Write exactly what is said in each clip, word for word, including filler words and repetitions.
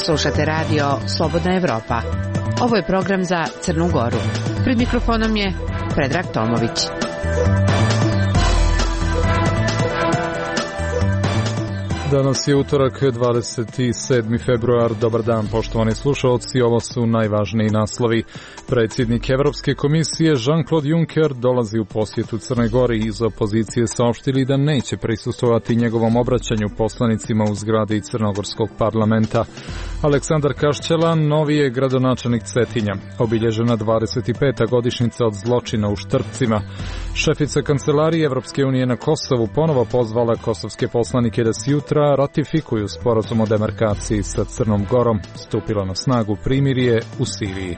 Slušate radio Slobodna Evropa. Ovo je program za Crnu Goru. Pred mikrofonom je Predrag Tomović. Danas je utorak, dvadeset sedmi februar. Dobar dan, poštovani slušalci. Ovo su najvažniji naslovi. Predsjednik Evropske komisije Jean-Claude Juncker dolazi u posjetu Crnoj Gori. Iz opozicije saopštili da neće prisustvovati njegovom obraćanju poslanicima u zgradi Crnogorskog parlamenta. Aleksandar Kašćelan novi je gradonačelnik Cetinja. Obilježena dvadeset peta godišnjica od zločina u Štrpcima. Šefica kancelarije Evropske unije na Kosovu ponovo pozvala kosovske poslanike da sjutra ratifikuju sporazum o demarkaciji sa Crnom Gorom. Stupilo na snagu primirje u Siriji.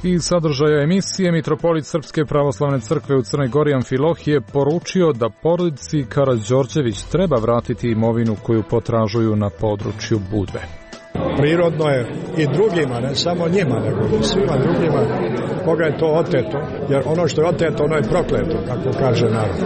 Iz sadržaja emisije mitropolit Srpske pravoslavne crkve u Crnoj Gori Amfilohije poručio da porodici Karađorđević treba vratiti imovinu koju potražuju na području Budve. Prirodno je i drugima, ne samo njima, nego i svima drugima koga je to oteto, jer ono što je oteto, ono je prokleto, kako kaže narod.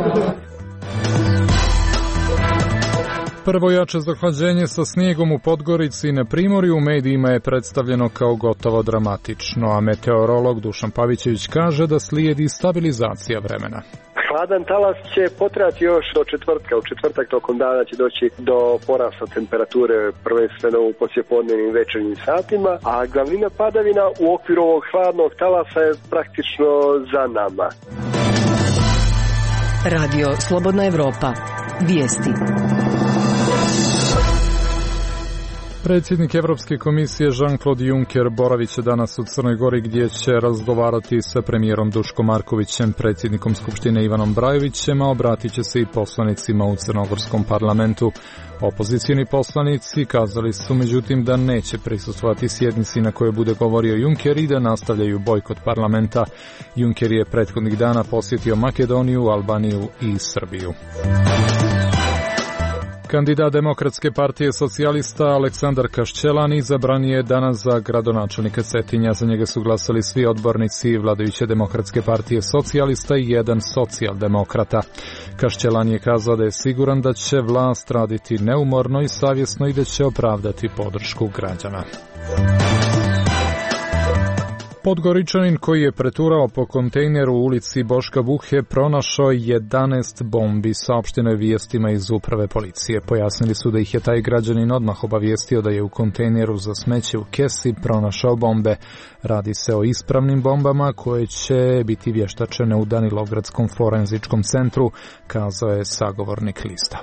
Prvo jače zahlađenje sa snijegom u Podgorici i na Primorju u medijima je predstavljeno kao gotovo dramatično, a meteorolog Dušan Pavićević kaže da slijedi stabilizacija vremena. Hladan talas će potrajati još do četvrtka. U četvrtak tokom dana će doći do porasta temperature prvenstveno u poslijepodnevnim večernjim satima, a glavnina padavina u okviru ovog hladnog talasa je praktično za nama. Radio Slobodna Evropa. Vijesti. Predsjednik Evropske komisije Jean-Claude Juncker boravit će danas u Crnoj Gori gdje će razgovarati sa premijerom Duškom Markovićem, predsjednikom Skupštine Ivanom Brajovićem, a obratit će se i poslanicima u Crnogorskom parlamentu. Opozicijni poslanici kazali su međutim da neće prisustvovati sjednici na kojoj bude govorio Juncker i da nastavljaju bojkot parlamenta. Juncker je prethodnih dana posjetio Makedoniju, Albaniju i Srbiju. Kandidat Demokratske partije socijalista Aleksandar Kašćelan izabran je danas za gradonačelnika Cetinja. Za njega su glasali svi odbornici vladajuće Demokratske partije socijalista i jedan socijaldemokrata. Kašćelan je kazao da je siguran da će vlast raditi neumorno i savjesno i da će opravdati podršku građana. Podgoričanin koji je preturao po kontejneru u ulici Boška Buhe pronašao jedanaest bombi, saopšteno je vijestima iz uprave policije. Pojasnili su da ih je taj građanin odmah obavijestio da je u kontejneru za smeće u kesi pronašao bombe. Radi se o ispravnim bombama koje će biti vještačene u Danilogradskom forenzičkom centru, kazao je sagovornik lista.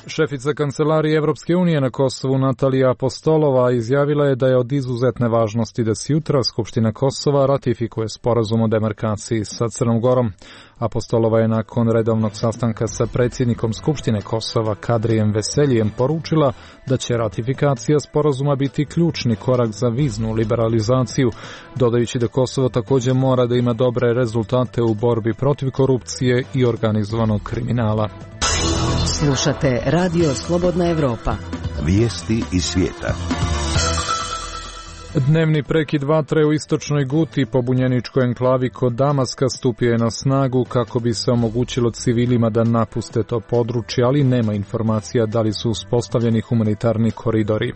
Šefica kancelarije Evropske unije na Kosovu Natalija Apostolova izjavila je da je od izuzetne važnosti da sjutra Skupština Kosova ratifikuje sporazum o demarkaciji sa Crnom Gorom. Apostolova je nakon redovnog sastanka sa predsjednikom Skupštine Kosova Kadrijem Veseljijem poručila da će ratifikacija sporazuma biti ključni korak za viznu liberalizaciju, dodajući da Kosovo također mora da ima dobre rezultate u borbi protiv korupcije i organizovanog kriminala. Slušate Radio Slobodna Evropa. Vijesti iz svijeta. Dnevni prekid vatre u istočnoj Guti, pobunjeničkoj enklavi kod Damaska, stupio je na snagu kako bi se omogućilo civilima da napuste to područje, ali nema informacija da li su uspostavljeni humanitarni koridori.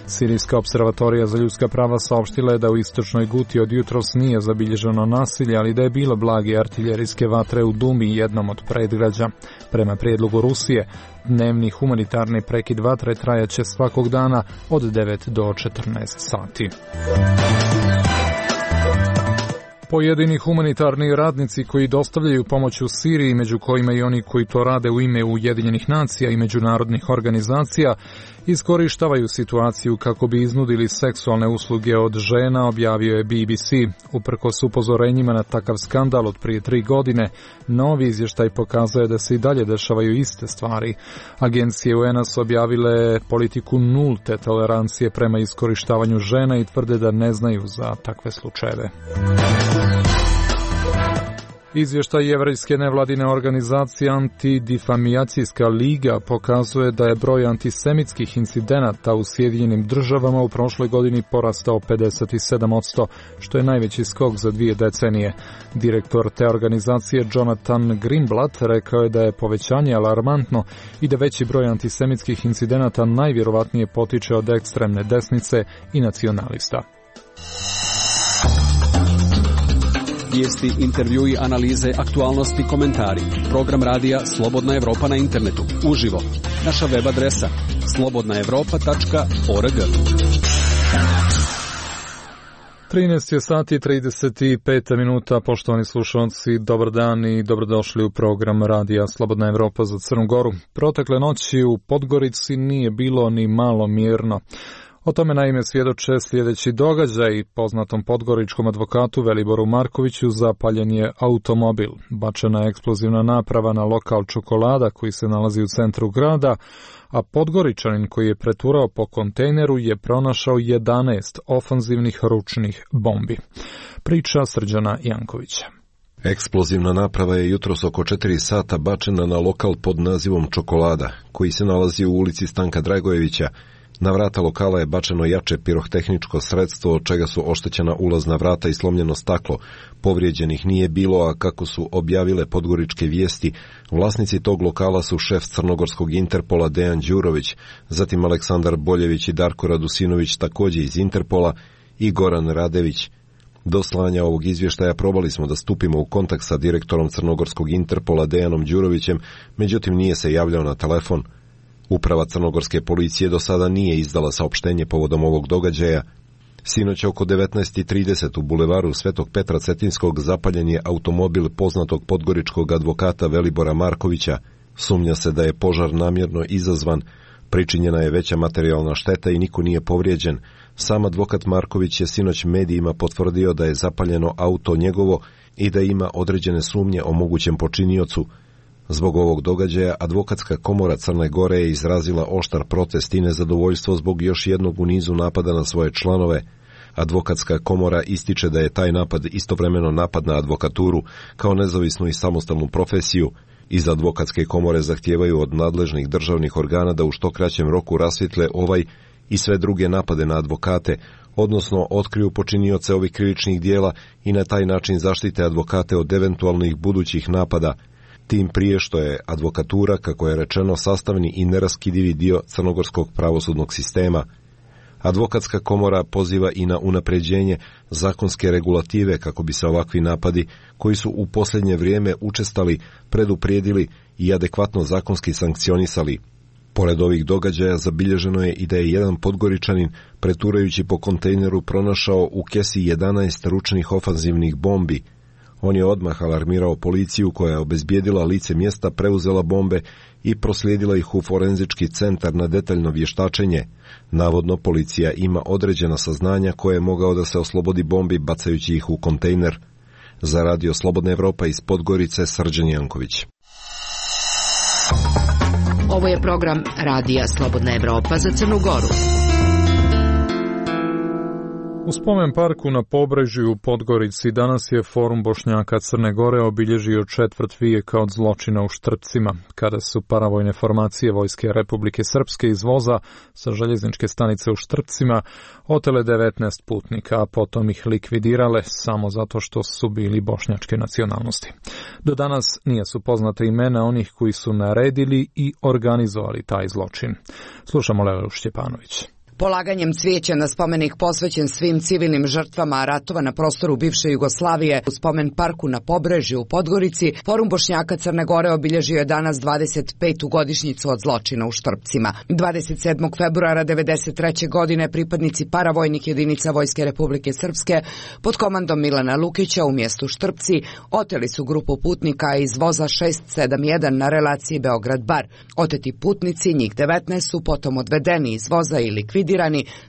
Sirijska observatorija za ljudska prava saopštila je da u istočnoj Guti od jutros nije zabilježeno nasilje, ali da je bilo blage artiljerijske vatre u Dumi, jednom od predgrađa. Prema prijedlogu Rusije, dnevni humanitarni prekid vatre trajaće svakog dana od devet do četrnaest sati. Pojedini humanitarni radnici koji dostavljaju pomoć u Siriji, među kojima i oni koji to rade u ime Ujedinjenih nacija i međunarodnih organizacija, iskorištavaju situaciju kako bi iznudili seksualne usluge od žena, objavio je B B C. Uprkos upozorenjima na takav skandal od prije tri godine, novi izvještaj pokazuje da se i dalje dešavaju iste stvari. Agencije U N A su objavile politiku nulte tolerancije prema iskorištavanju žena i tvrde da ne znaju za takve slučajeve. Izvještaj Jevrejske nevladine organizacije Antidifamijacijska liga pokazuje da je broj antisemitskih incidenata u Sjedinjenim državama u prošloj godini porastao pedeset sedam posto, što je najveći skok za dvije decenije. Direktor te organizacije Jonathan Greenblatt rekao je da je povećanje alarmantno i da veći broj antisemitskih incidenata najvjerovatnije potiče od ekstremne desnice i nacionalista. Vijesti, intervjui, analize, aktualnosti, komentari. Program radija Slobodna Evropa na internetu. Uživo. Naša web adresa slobodna evropa tačka org. trinaest je sati i trideset pet minuta, poštovani slušalci, dobar dan i dobrodošli u program radija Slobodna Evropa za Crnu Goru. Protekle noći u Podgorici nije bilo ni malo mirno. O tome naime svjedoče sljedeći događaj. Poznatom podgoričkom advokatu Veliboru Markoviću zapaljen je automobil. Bačena je eksplozivna naprava na lokal Čokolada koji se nalazi u centru grada, a Podgoričanin koji je preturao po kontejneru je pronašao jedanaest ofanzivnih ručnih bombi. Priča Srđana Jankovića. Eksplozivna naprava je jutros oko četiri sata bačena na lokal pod nazivom Čokolada, koji se nalazi u ulici Stanka Dragojevića. Na vrata lokala je bačeno jače pirotehničko sredstvo, od čega su oštećena ulazna vrata i slomljeno staklo. Povrijeđenih nije bilo, a kako su objavile podgoričke vijesti, vlasnici tog lokala su šef crnogorskog Interpola Dejan Đurović, zatim Aleksandar Boljević i Darko Radusinović također iz Interpola i Goran Radević. Do slanja ovog izvještaja probali smo da stupimo u kontakt sa direktorom crnogorskog Interpola Dejanom Đurovićem, međutim nije se javljao na telefon. Uprava crnogorske policije do sada nije izdala saopštenje povodom ovog događaja. Sinoć oko devetnaest i trideset u bulevaru Svetog Petra Cetinskog zapaljen je automobil poznatog podgoričkog advokata Velibora Markovića. Sumnja se da je požar namjerno izazvan, pričinjena je veća materijalna šteta i niko nije povrijeđen. Sam advokat Marković je sinoć medijima potvrdio da je zapaljeno auto njegovo i da ima određene sumnje o mogućem počiniocu. Zbog ovog događaja Advokatska komora Crne Gore je izrazila oštar protest i nezadovoljstvo zbog još jednog u nizu napada na svoje članove. Advokatska komora ističe da je taj napad istovremeno napad na advokaturu kao nezavisnu i samostalnu profesiju. Iz Advokatske komore zahtijevaju od nadležnih državnih organa da u što kraćem roku rasvijetle ovaj i sve druge napade na advokate, odnosno otkriju počinioce ovih krivičnih dijela i na taj način zaštite advokate od eventualnih budućih napada. Tim prije što je advokatura, kako je rečeno, sastavni i neraskidivi dio crnogorskog pravosudnog sistema. Advokatska komora poziva i na unapređenje zakonske regulative kako bi se ovakvi napadi, koji su u posljednje vrijeme učestali, preduprijedili i adekvatno zakonski sankcionisali. Pored ovih događaja zabilježeno je i da je jedan podgoričanin preturajući po kontejneru pronašao u kesi jedanaest ručnih ofanzivnih bombi. On je odmah alarmirao policiju koja je obezbijedila lice mjesta, preuzela bombe i proslijedila ih u forenzički centar na detaljno vještačenje. Navodno policija ima određena saznanja koje je mogao da se oslobodi bombi bacajući ih u kontejner. Za radio Slobodna Evropa iz Podgorice, Srđan Janković. Ovo je program radija Slobodna Evropa za Crnu Goru. U spomen parku na Pobrežju u Podgorici danas je Forum Bošnjaka Crne Gore obilježio četvrt vijeka od zločina u Štrpcima, kada su paravojne formacije Vojske Republike Srpske iz voza sa željezničke stanice u Štrpcima otele devetnaest putnika, a potom ih likvidirale samo zato što su bili bošnjačke nacionalnosti. Do danas nije su poznate imena onih koji su naredili i organizovali taj zločin. Slušamo Lelu Štjepanović. Polaganjem cvijeća na spomenik posvećen svim civilnim žrtvama ratova na prostoru bivše Jugoslavije u spomen parku na Pobrežju u Podgorici, Forum Bošnjaka Crne Gore obilježio je danas dvadeset petu godišnjicu od zločina u Štrpcima. dvadeset sedmog februara devedeset treće godine pripadnici paravojnih jedinica Vojske Republike Srpske pod komandom Milana Lukića u mjestu Štrpci oteli su grupu putnika iz voza šest sedam jedan na relaciji Beograd-Bar. Oteti putnici, njih devetnaest, su potom odvedeni iz voza i likvidirani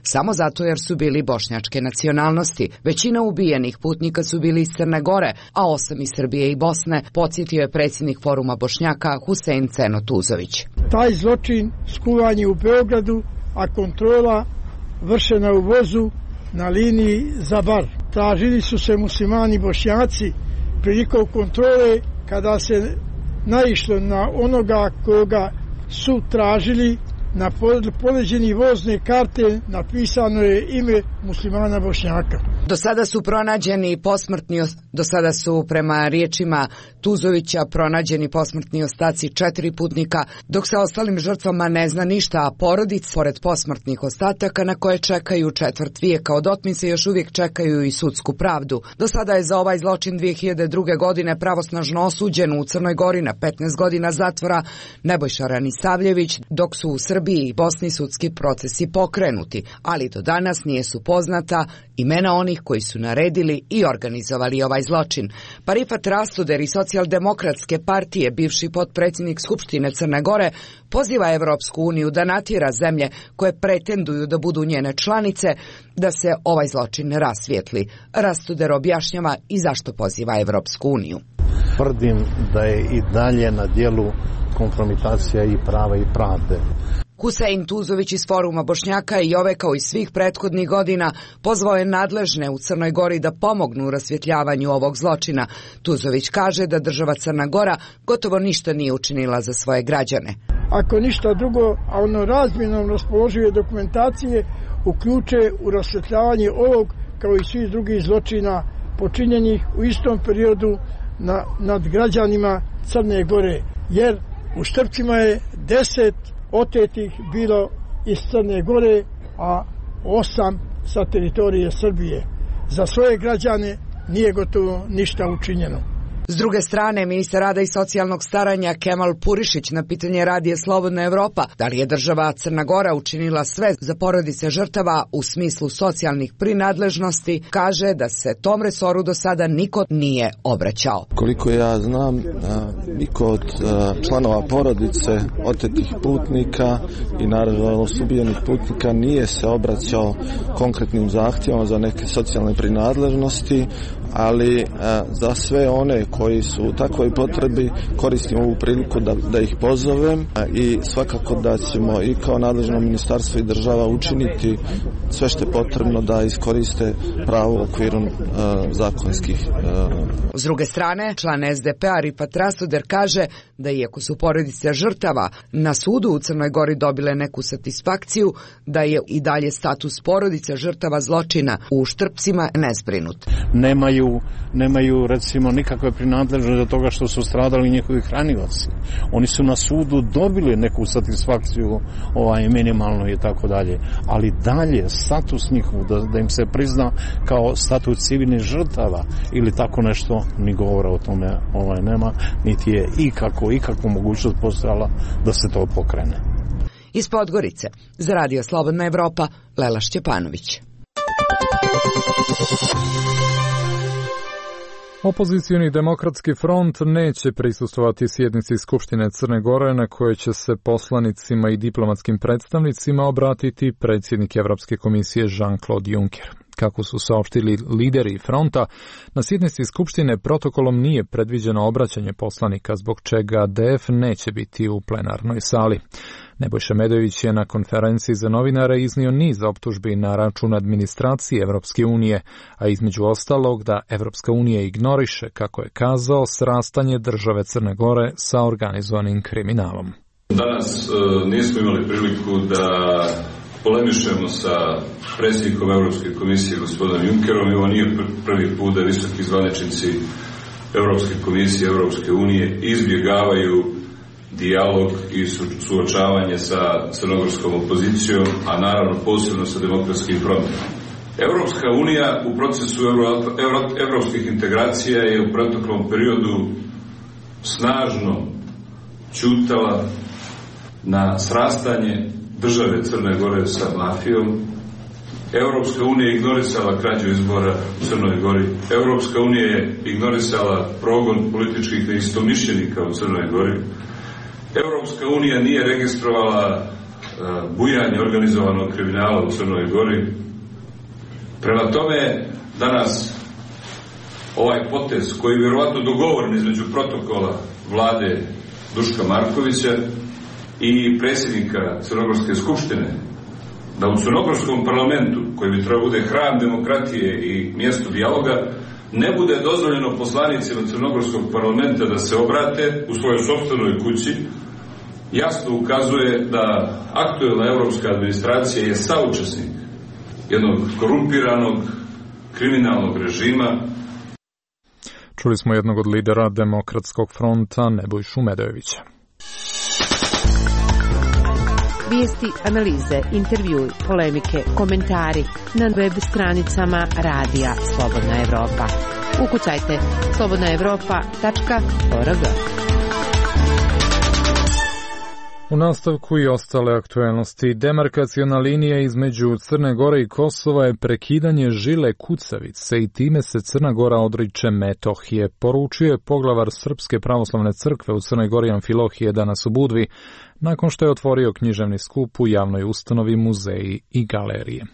samo zato jer su bili bošnjačke nacionalnosti. Većina ubijenih putnika su bili iz Crne Gore, a osam iz Srbije i Bosne, podsjetio je predsjednik Foruma Bošnjaka Husein Ceno Tuzović. Taj zločin skuvan je u Beogradu, a kontrola vršena u vozu na liniji za Bar. Tražili su se muslimani Bošnjaci prilikom kontrole kada se naišlo na onoga koga su tražili, na poleđeni vozne karte napisano je ime muslimana Bošnjaka. Do sada su pronađeni posmrtni, do sada su prema riječima Tuzovića pronađeni posmrtni ostaci četiri putnika, dok se ostalim žrtvama ne zna ništa, a porodice, pored posmrtnih ostataka na koje čekaju četvrt vijeka od otmice, još uvijek čekaju i sudsku pravdu. Do sada je za ovaj zločin dvije hiljade druge. godine pravosnažno osuđen u Crnoj Gori na petnaest godina zatvora Nebojša Ranisavljević, dok su u Srbiji i Bosni sudski procesi pokrenuti, ali do danas nije su poznata imena onih koji su naredili i organizovali ovaj zločin. Pa Rifat Rastuder iz Socijaldemokratske partije, bivši potpredsjednik Skupštine Crne Gore, poziva Evropsku uniju da natjera zemlje koje pretenduju da budu njene članice da se ovaj zločin rasvijetli. Rastuder objašnjava i zašto poziva Evropsku uniju. Tvrdim da je i dalje na dijelu kompromitacija i prava i pravde. Husein Tuzović iz Foruma Bošnjaka i ove kao i svih prethodnih godina pozvao je nadležne u Crnoj Gori da pomognu u rasvjetljavanju ovog zločina. Tuzović kaže da država Crna Gora gotovo ništa nije učinila za svoje građane. Ako ništa drugo, a ono razmjenom raspoložive dokumentacije uključe u rasvjetljavanje ovog kao i svih drugih zločina počinjenih u istom periodu na, nad građanima Crne Gore, jer u Štrpcima je deset otetih bilo iz Crne Gore, a osam sa teritorije Srbije. Za svoje građane nije gotovo ništa učinjeno. S druge strane, ministar rada i socijalnog staranja Kemal Purišić na pitanje radija Slobodna Evropa da li je država Crna Gora učinila sve za porodice žrtava u smislu socijalnih prinadležnosti, kaže da se tom resoru do sada niko nije obraćao. Koliko ja znam, niko od članova porodice otetih putnika i naravno ubijenih putnika nije se obraćao konkretnim zahtjevom za neke socijalne prinadležnosti, ali za sve one koji su u takvoj potrebi koristim ovu priliku da, da ih pozovem i svakako da ćemo i kao nadležno ministarstvo i država učiniti sve što je potrebno da iskoriste pravo u okviru uh, zakonskih. Uh... S druge strane, član es de pe-a Rifat Rastuder kaže da iako su porodice žrtava na sudu u Crnoj Gori dobile neku satisfakciju, da je i dalje status porodice žrtava zločina u Štrpcima nezbrinut. Nemaju, nemaju recimo nikakve prinadležnosti do toga što su stradali njihovi hranioci. Oni su na sudu dobili neku satisfakciju ovaj, minimalno i tako dalje, ali dalje status njihov da, da im se prizna kao status civilnih žrtava ili tako nešto, ni govora o tome ovaj, nema, niti je ikako, ikako mogućnost postojala da se to pokrene. Iz Podgorice, za Radio Slobodna Evropa, Lela Šćepanović. Opozicioni demokratski front neće prisustvovati sjednici Skupštine Crne Gore na kojoj će se poslanicima i diplomatskim predstavnicima obratiti predsjednik Evropske komisije Jean-Claude Juncker. Kako su saopštili lideri fronta, na sjednici Skupštine protokolom nije predviđeno obraćanje poslanika, zbog čega de ef neće biti u plenarnoj sali. Nebojša Medović je na konferenciji za novinare iznio niz optužbi na račun administracije Evropske unije, a između ostalog da Evropska unija ignoriše, kako je kazao, srastanje države Crne Gore sa organizovanim kriminalom. Danas e, nismo imali priliku da polemišemo sa predsjednikom Europske komisije gospodinom Junckerom i ovo nije prvi put da visoki zvaničnici Europske komisije, Europske unije izbjegavaju dijalog i suočavanje sa crnogorskom opozicijom, a naravno posebno sa demokratskim frontom. Europska unija u procesu euro, euro, evropskih integracija je u proteklom periodu snažno ćutala na srastanje države Crne Gore sa mafijom. Europska unija je ignorisala krađu izbora u Crnoj Gori. Europska unija je ignorisala progon političkih neistomišljenika u Crnoj Gori. Europska unija nije registrovala uh, bujanje organizovanog kriminala u Crnoj Gori. Prema tome, danas ovaj potez koji je vjerovatno dogovoren između protokola vlade Duška Markovića i predsjednika Crnogorske skupštine, da u Crnogorskom parlamentu, koji bi trebao bude hram demokratije i mjesto dijaloga, ne bude dozvoljeno poslanicima Crnogorskog parlamenta da se obrate u svojoj sopstvenoj kući, jasno ukazuje da aktuelna evropska administracija je saučesnik jednog korumpiranog kriminalnog režima. Čuli smo jednog od lidera Demokratskog fronta, Nebojšu Medojevića. Vijesti, analize, intervjui, polemike, komentari na web stranicama Radija Slobodna Evropa. Ukucajte slobodna evropa tačka org. U nastavku i ostale aktuelnosti, demarkaciona linija između Crne Gore i Kosova je prekidanje žile kucavice i time se Crna Gora odriče Metohije, poručio je poglavar Srpske pravoslavne crkve u Crnoj Gori Amfilohije danas u Budvi, nakon što je otvorio književni skup u javnoj ustanovi Muzeji i galerije.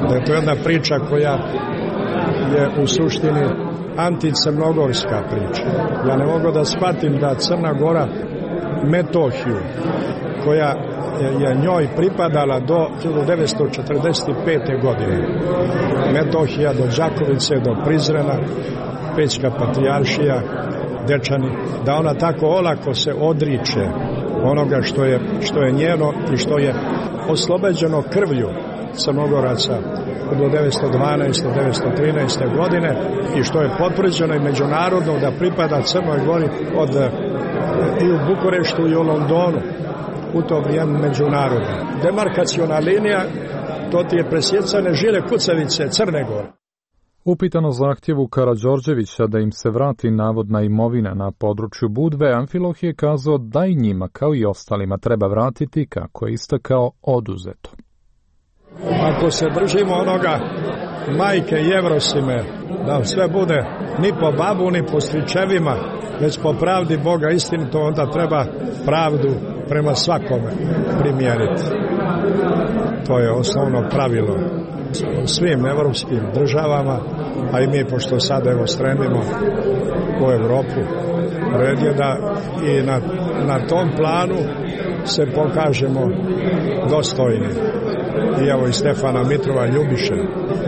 Da je to jedna priča koja je u suštini anticrnogorska priča. Ja ne mogu da shvatim da Crna Gora Metohiju, koja je njoj pripadala do hiljadu devetsto četrdeset pete. godine. Metohija do Đakovice, do Prizrena, Pećka patrijaršija, Dečani, da ona tako olako se odriče onoga što je, što je njeno i što je oslobođeno krvlju Crnogoraca od devetsto dvanaeste. do devetsto trinaeste. godine i što je potvrđeno i međunarodno da pripada Crnoj Gori od i u Bukureštu i u Londonu u to vrijeme međunarodno. Demarkaciona linija, to ti je presjecane žile kucavice Crne Gore. Upitano zahtjevu Karađorđevića da im se vrati navodna imovina na području Budve, Amfiloh je kazao da i njima, kao i ostalima, treba vratiti, kako je istakao, oduzeto. Ako se držimo onoga majke Jevrosime, da sve bude ni po babu, ni po stričevima, već po pravdi Boga istinito, onda treba pravdu prema svakome primijeniti. To je osnovno pravilo u svim evropskim državama, a i mi, pošto sad evo stremimo u Evropu, red je da i na, na tom planu se pokažemo dostojni. I evo i Stefana Mitrova Ljubiše.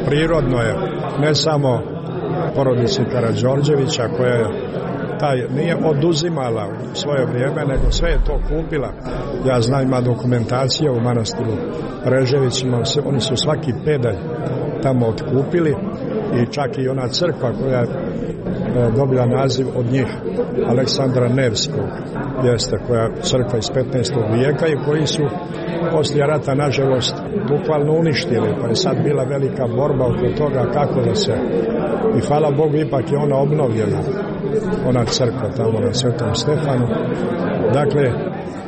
Prirodno je, ne samo porodici Karađorđevića, koja je taj nije oduzimala u svoje vrijeme, nego sve je to kupila. Ja znam, ima dokumentacija u manastiru Reževićima, oni su svaki pedalj tamo otkupili i čak i ona crkva koja je dobila naziv od njih, Aleksandra Nevskog, jeste, koja crkva iz petnaestog vijeka i koji su poslije rata, nažalost, bukvalno uništili, pa je sad bila velika borba oko toga kako da se, i hvala Bogu, ipak je ona obnovljena, ona crkva tamo na Svetom Stefanu. Dakle,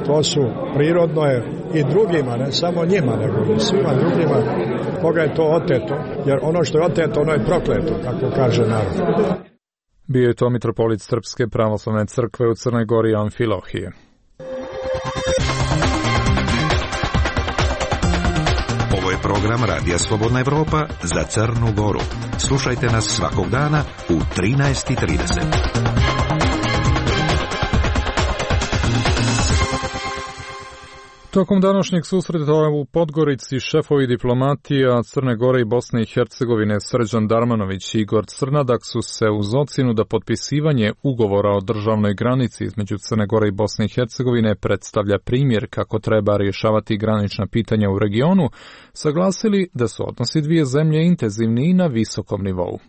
to su, prirodno je i drugima, ne samo njima, nego i svima drugima, koga je to oteto, jer ono što je oteto, ono je prokleto, kako kaže narod. Bio je to mitropolit Srpske pravoslavne crkve u Crnoj Gori Amfilohije. Ovo je program Radija Slobodna Evropa za Crnu Goru. Slušajte nas svakog dana u trinaest i trideset. Tokom današnjeg susreta u Podgorici šefovi diplomatija Crne Gore i Bosne i Hercegovine Srđan Darmanović i Igor Crnadak su se uz ocjenu da potpisivanje ugovora o državnoj granici između Crne Gore i Bosne i Hercegovine predstavlja primjer kako treba rješavati granična pitanja u regionu, saglasili da su odnosi dvije zemlje intenzivni i na visokom nivou.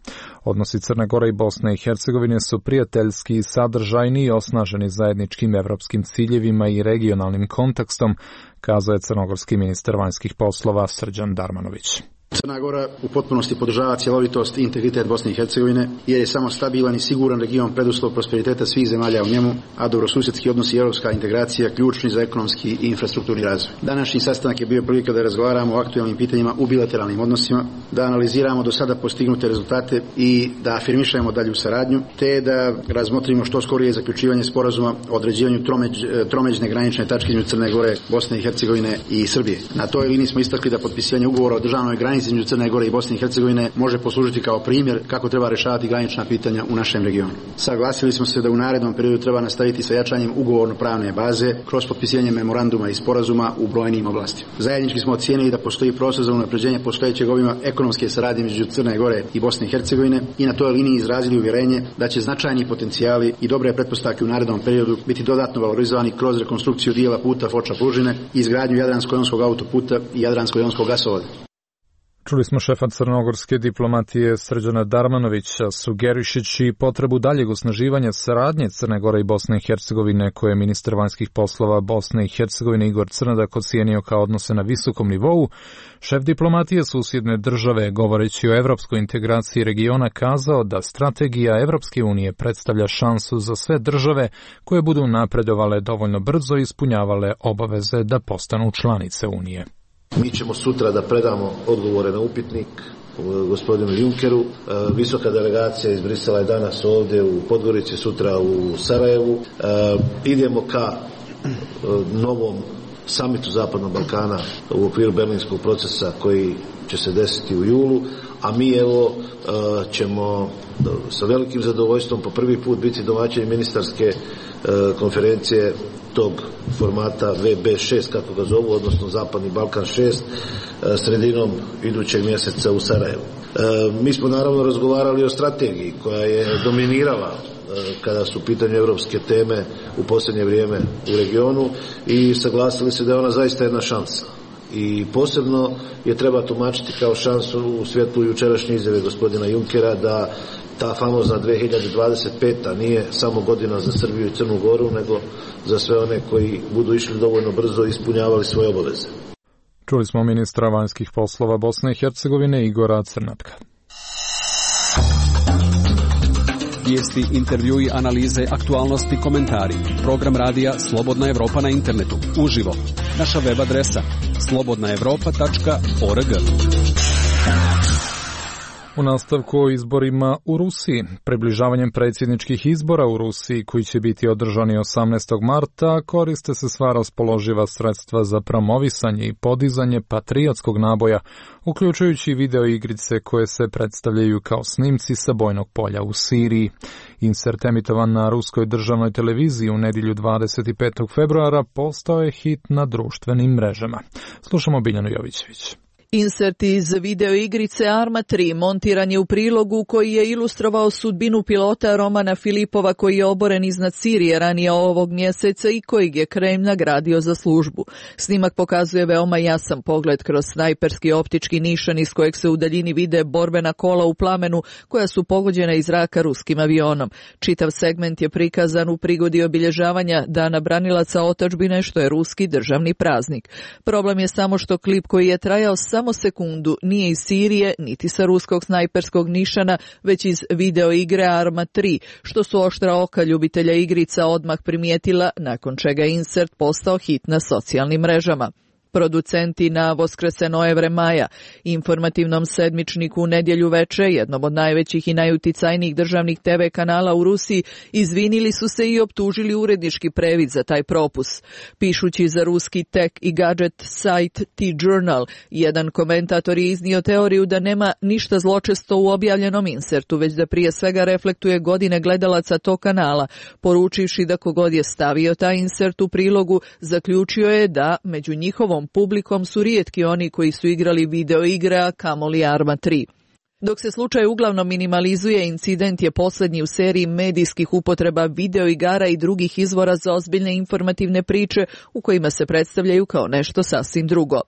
Odnosi Crne Gore i Bosne i Hercegovine su prijateljski i sadržajni i osnaženi zajedničkim evropskim ciljevima i regionalnim kontekstom, kazao je crnogorski ministar vanjskih poslova Srđan Darmanović. Crna Gora u potpunosti podržava cjelovitost i integritet Bosne i Hercegovine, jer je samo stabilan i siguran region preduslov prosperiteta svih zemalja u njemu, a dobrosusjedski odnosi i europska integracija ključni za ekonomski i infrastrukturni razvoj. Današnji sastanak je bio prilika da razgovaramo o aktualnim pitanjima u bilateralnim odnosima, da analiziramo do sada postignute rezultate i da afirmišemo dalju saradnju, te da razmotrimo što skorije zaključivanje sporazuma o određivanju tromeđ, tromeđne granične tačke između Crne Gore, Bosne i Hercegovine i Srbije. Na toj liniji smo istakli da potpisivanje ugovora o državnoj granici granici između Crne Gore i Bosne i Hercegovine može poslužiti kao primjer kako treba rješavati granična pitanja u našem regionu. Saglasili smo se da u narednom periodu treba nastaviti sa jačanjem ugovorno-pravne baze kroz potpisivanje memoranduma i sporazuma u brojnim oblastima. Zajednički smo ocijenili da postoji prostor za unapređenje postojećeg obima ekonomske saradnje između Crne Gore i Bosne i Hercegovine i na toj liniji izrazili uvjerenje da će značajni potencijali i dobre pretpostavke u narednom periodu biti dodatno valorizovani kroz rekonstrukciju dijela puta Foča-Plužine i izgradnju Jadransko-jonskog autoputa i Jadransko-jonskog gasovoda. Čuli smo šefa crnogorske diplomatije Srđana Darmanovića, sugerišući potrebu daljeg osnaživanja saradnje Crne Gore i Bosne i Hercegovine, koje je ministar vanjskih poslova Bosne i Hercegovine Igor Crnadak ocijenio kao odnose na visokom nivou. Šef diplomatije susjedne države, govoreći o evropskoj integraciji regiona, kazao da strategija Evropske unije predstavlja šansu za sve države koje budu napredovale dovoljno brzo i ispunjavale obaveze da postanu članice Unije. Mi ćemo sutra da predamo odgovore na upitnik gospodinu Junkeru. Visoka delegacija iz Brisela je danas ovdje u Podgorici, sutra u Sarajevu. Idemo ka novom samitu Zapadnog Balkana u okviru berlinskog procesa koji će se desiti u julu, a mi evo ćemo sa velikim zadovoljstvom po prvi put biti domaćini ministarske konferencije tog formata V B šest, kako ga zovu, odnosno Zapadni Balkan šest, sredinom idućeg mjeseca u Sarajevu. Mi smo naravno razgovarali o strategiji koja je dominirala kada su u pitanju evropske teme u posljednje vrijeme u regionu i saglasili se da je ona zaista jedna šansa. I posebno je treba tumačiti kao šansu u svjetlu jučerašnje izjave gospodina Junkera da ta famozna dve hiljade dvadeset peta nije samo godina za Srbiju i Crnu Goru, nego za sve one koji budu išli dovoljno brzo i ispunjavali svoje obaveze. Čuli smo ministra vanjskih poslova Bosne i Hercegovine Igora Crnatka. Vijesti, intervjui, analize, aktualnosti, komentari. Program radija Slobodna Evropa na internetu. Uživo. Naša web adresa slobodna evropa tačka org. U nastavku o izborima u Rusiji, približavanjem predsjedničkih izbora u Rusiji koji će biti održani osamnaestog marta, koriste se sva raspoloživa sredstva za promovisanje i podizanje patriotskog naboja, uključujući video igrice koje se predstavljaju kao snimci sa bojnog polja u Siriji. Insert emitovan na ruskoj državnoj televiziji u nedjelju dvadeset petog februara postao je hit na društvenim mrežama. Slušamo Biljanu Jovićević. Insert iz video igrice Arma tri montiran je u prilogu koji je ilustrovao sudbinu pilota Romana Filipova koji je oboren iznad Sirije ranije ovog mjeseca i kojeg je Kremlj nagradio za službu. Snimak pokazuje veoma jasan pogled kroz snajperski optički nišan iz kojeg se u daljini vide borbena kola u plamenu koja su pogođena iz zraka ruskim avionom. Čitav segment je prikazan u prigodi obilježavanja Dana branilaca otadžbine, što je ruski državni praznik. Problem je samo što klip koji je trajao samo Samo sekundu nije iz Sirije, niti sa ruskog snajperskog nišana, već iz video igre Arma tri, što su oštra oka ljubitelja igrica odmah primijetila, nakon čega je insert postao hit na socijalnim mrežama. Producenti na Voskresenoje Vremaja, informativnom sedmičniku u nedjelju veče, jednom od najvećih i najuticajnijih državnih te ve kanala u Rusiji, izvinili su se i optužili urednički previd za taj propus. Pišući za ruski tech i gadget sajt T-Journal, jedan komentator je iznio teoriju da nema ništa zločesto u objavljenom insertu, već da prije svega reflektuje godine gledalaca tog kanala, poručivši da kogod je stavio taj insert u prilogu, zaključio je da među njihovom publikom su rijetki oni koji su igrali video igre, a kamoli Arma tri. Dok se slučaj uglavnom minimalizuje, incident je posljednji u seriji medijskih upotreba videoigara i drugih izvora za ozbiljne informativne priče u kojima se predstavljaju kao nešto sasvim drugo.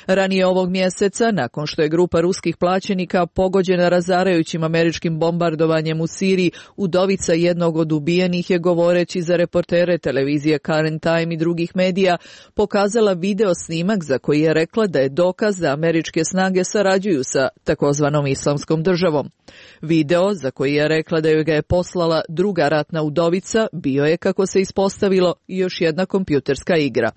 Ranije ovog mjeseca, nakon što je grupa ruskih plaćenika pogođena razarajućim američkim bombardovanjem u Siriji, udovica jednog od ubijenih je, govoreći za reportere televizije Current Time i drugih medija, pokazala video snimak za koji je rekla da je dokaz da američke snage sarađuju sa takozvanom islamskom državom. Video, za koji je rekla da joj ga je poslala druga ratna udovica, bio je, kako se ispostavilo, još jedna kompjuterska igra.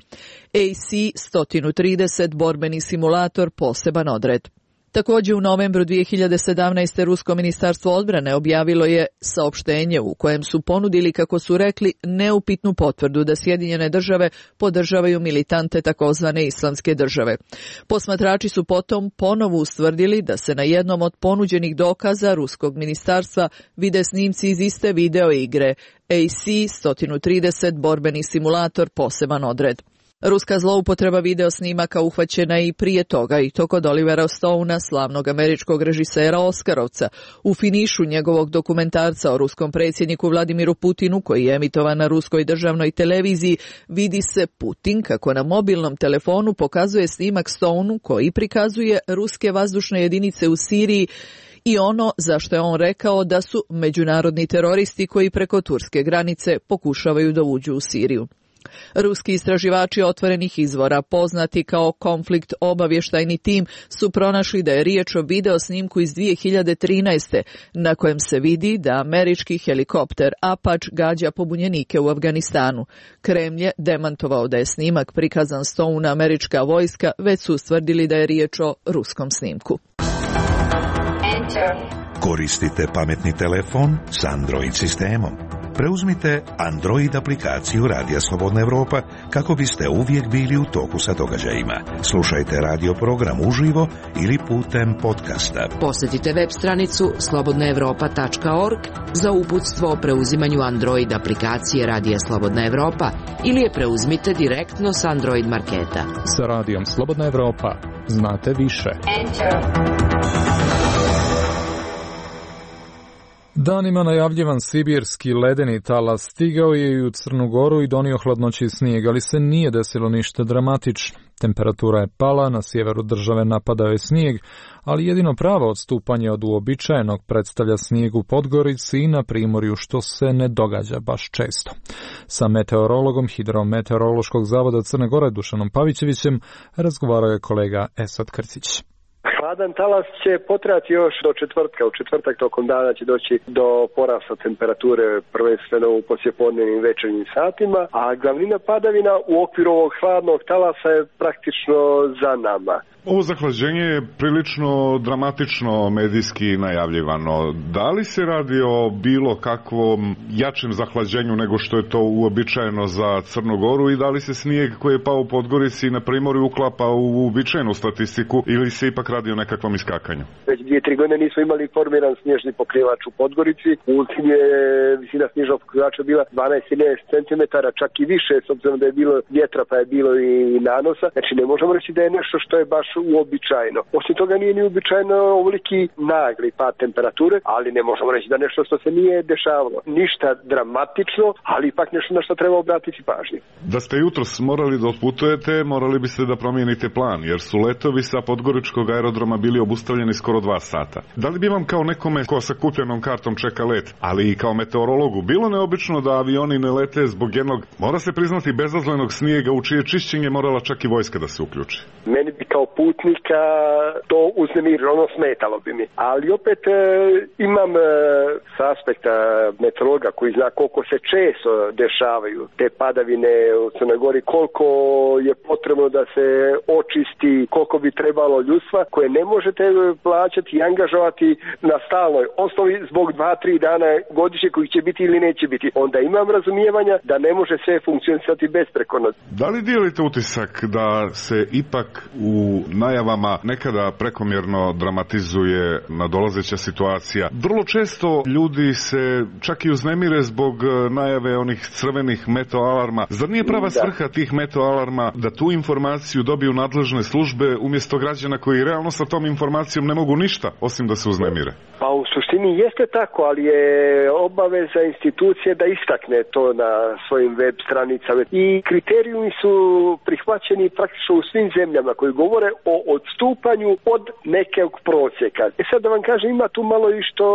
A C sto trideset borbeni simulator, poseban odred. Također u novembru dvije hiljade sedamnaeste. Rusko ministarstvo odbrane objavilo je saopštenje u kojem su ponudili, kako su rekli, neupitnu potvrdu da Sjedinjene države podržavaju militante takozvane islamske države. Posmatrači su potom ponovo ustvrdili da se na jednom od ponuđenih dokaza ruskog ministarstva vide snimci iz iste video igre A C sto trideset borbeni simulator poseban odred. Ruska zloupotreba video snimaka uhvaćena je i prije toga, i to kod Olivera Stouna, slavnog američkog režisera Oskarovca. U finišu njegovog dokumentarca o ruskom predsjedniku Vladimiru Putinu, koji je emitovan na ruskoj državnoj televiziji, vidi se Putin kako na mobilnom telefonu pokazuje snimak Stounu koji prikazuje ruske vazdušne jedinice u Siriji i ono za što je on rekao da su međunarodni teroristi koji preko turske granice pokušavaju da uđu u Siriju. Ruski istraživači otvorenih izvora, poznati kao konflikt obavještajni tim, su pronašli da je riječ o video snimku iz dvije hiljade trinaeste. na kojem se vidi da američki helikopter Apache gađa pobunjenike u Afganistanu. Kremlj je demantovao da je snimak prikazan Stouna američka vojska, već su ustvrdili da je riječ o ruskom snimku. Koristite pametni telefon s Android sistemom. Preuzmite Android aplikaciju Radija Slobodna Evropa kako biste uvijek bili u toku sa događajima. Slušajte radio program uživo ili putem podcasta. Posjetite web stranicu slobodna evropa tačka org za uputstvo o preuzimanju Android aplikacije Radija Slobodna Evropa ili je preuzmite direktno s Android marketa. Sa Radijom Slobodna Evropa znate više. Danima najavljivan sibirski ledeni talas stigao je i u Crnu Goru i donio hladnoći i snijeg, ali se nije desilo ništa dramatično. Temperatura je pala, na sjeveru države napadao je snijeg, ali jedino pravo odstupanje od uobičajenog predstavlja snijeg u Podgorici i na Primorju, što se ne događa baš često. Sa meteorologom Hidrometeorološkog zavoda Crne Gore Dušanom Pavićevićem razgovarao je kolega Esad Krcić. Hladan talas će potrajati još do četvrtka. U četvrtak tokom dana će doći do porasta temperature prvenstveno u poslijepodnevnim večernjim satima, a glavnina padavina u okviru ovog hladnog talasa je praktično za nama. Ovo zahlađenje je prilično dramatično medijski najavljivano. Da li se radi o bilo kakvom jačem zahlađenju nego što je to uobičajeno za Crnu Goru i da li se snijeg koji je pao u Podgorici na Primorju uklapa u uobičajenu statistiku ili se ipak radi o nekakvom iskakanju? Već dvije, tri godine nismo imali formiran snježni pokrivač u Podgorici. U ultim je visina snježnog pokrivača bila dvanaest do trinaest centimetara, čak i više, s obzirom da je bilo vjetra pa je bilo i nanosa. Znači ne možemo reći da je nešto što je baš uobičajeno. Osim toga nije ni uobičajeno ovoliki nagli pad temperature, ali ne možemo reći da nešto što se nije dešavalo. Ništa dramatično, ali ipak nešto na što treba obratiti pažnju. Da ste jutros morali da otputujete, morali biste da promijenite plan, jer su letovi sa podgoričkog aerodroma bili obustavljeni skoro dva sata. Da li bi vam kao nekome ko sa kupljenom kartom čeka let, ali i kao meteorologu, bilo neobično da avioni ne lete zbog jednog, mora se priznati, bezazlenog snijega u čije čišćenje morala čak i vojska da se uključi? Meni bi kao putnika to uznemirilo, ono smetalo bi mi. Ali opet e, imam e, s aspekta meteorologa koji zna koliko se često dešavaju te padavine u Crnoj Gori, koliko je potrebno da se očisti, koliko bi trebalo ljudstva koje ne možete plaćati i angažovati na stalnoj osnovi zbog dva, tri dana godišnje koji će biti ili neće biti. Onda imam razumijevanja da ne može sve funkcionisati besprekorno. Da li dijelite utisak da se ipak u najavama nekada prekomjerno dramatizuje nadolazeća situacija? Vrlo često ljudi se čak i uznemire zbog najave onih crvenih meteoalarma. Zar nije prava svrha tih meteoalarma da tu informaciju dobiju nadležne službe umjesto građana koji realno sa tom informacijom ne mogu ništa osim da se uznemire? Pa u suštini jeste tako, ali je obaveza institucije da istakne to na svojim web stranicama. I kriterijumi su prihvaćeni praktično u svim zemljama koji govore o odstupanju od nekog prosjeka. E sad da vam kažem, ima tu malo i što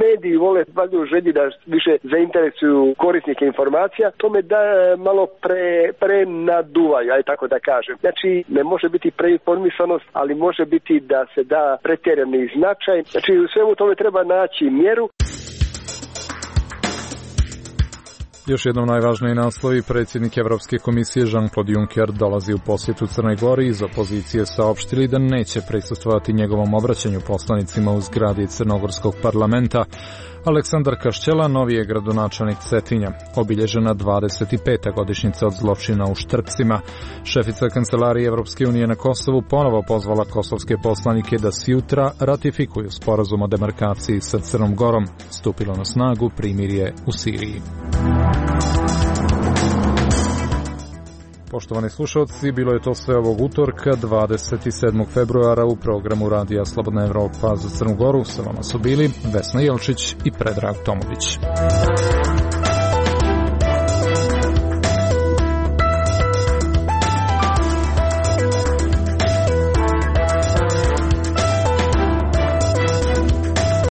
mediji vole valjda u želji da više zainteresuju korisnike informacija, to me da malo pre, pre naduvaju, aj tako da kažem. Znači, ne može biti preinformisanost, ali može biti da se da pretjerani značaj. Znači, u svemu tome treba naći mjeru. Još jednom najvažniji naslovi. Predsjednik Evropske komisije Jean-Claude Juncker dolazi u posjetu Crnoj Gori. Iz opozicije saopštili da neće prisustvovati njegovom obraćanju poslanicima u zgradi Crnogorskog parlamenta. Aleksandar Kašćela, novi je gradonačelnik Cetinja. Obilježena dvadeset peta godišnjica od zločina u Štrpcima. Šefica Kancelarije Evropske unije na Kosovu ponovo pozvala kosovske poslanike da sjutra ratifikuju sporazum o demarkaciji sa Crnom Gorom. Stupilo na snagu primirje u Siriji. Poštovani slušalci, bilo je to sve ovog utorka, dvadeset sedmog februara u programu Radija Slobodna Evropa za Crnu Goru. Sa vama su bili Vesna Jelčić i Predrag Tomović.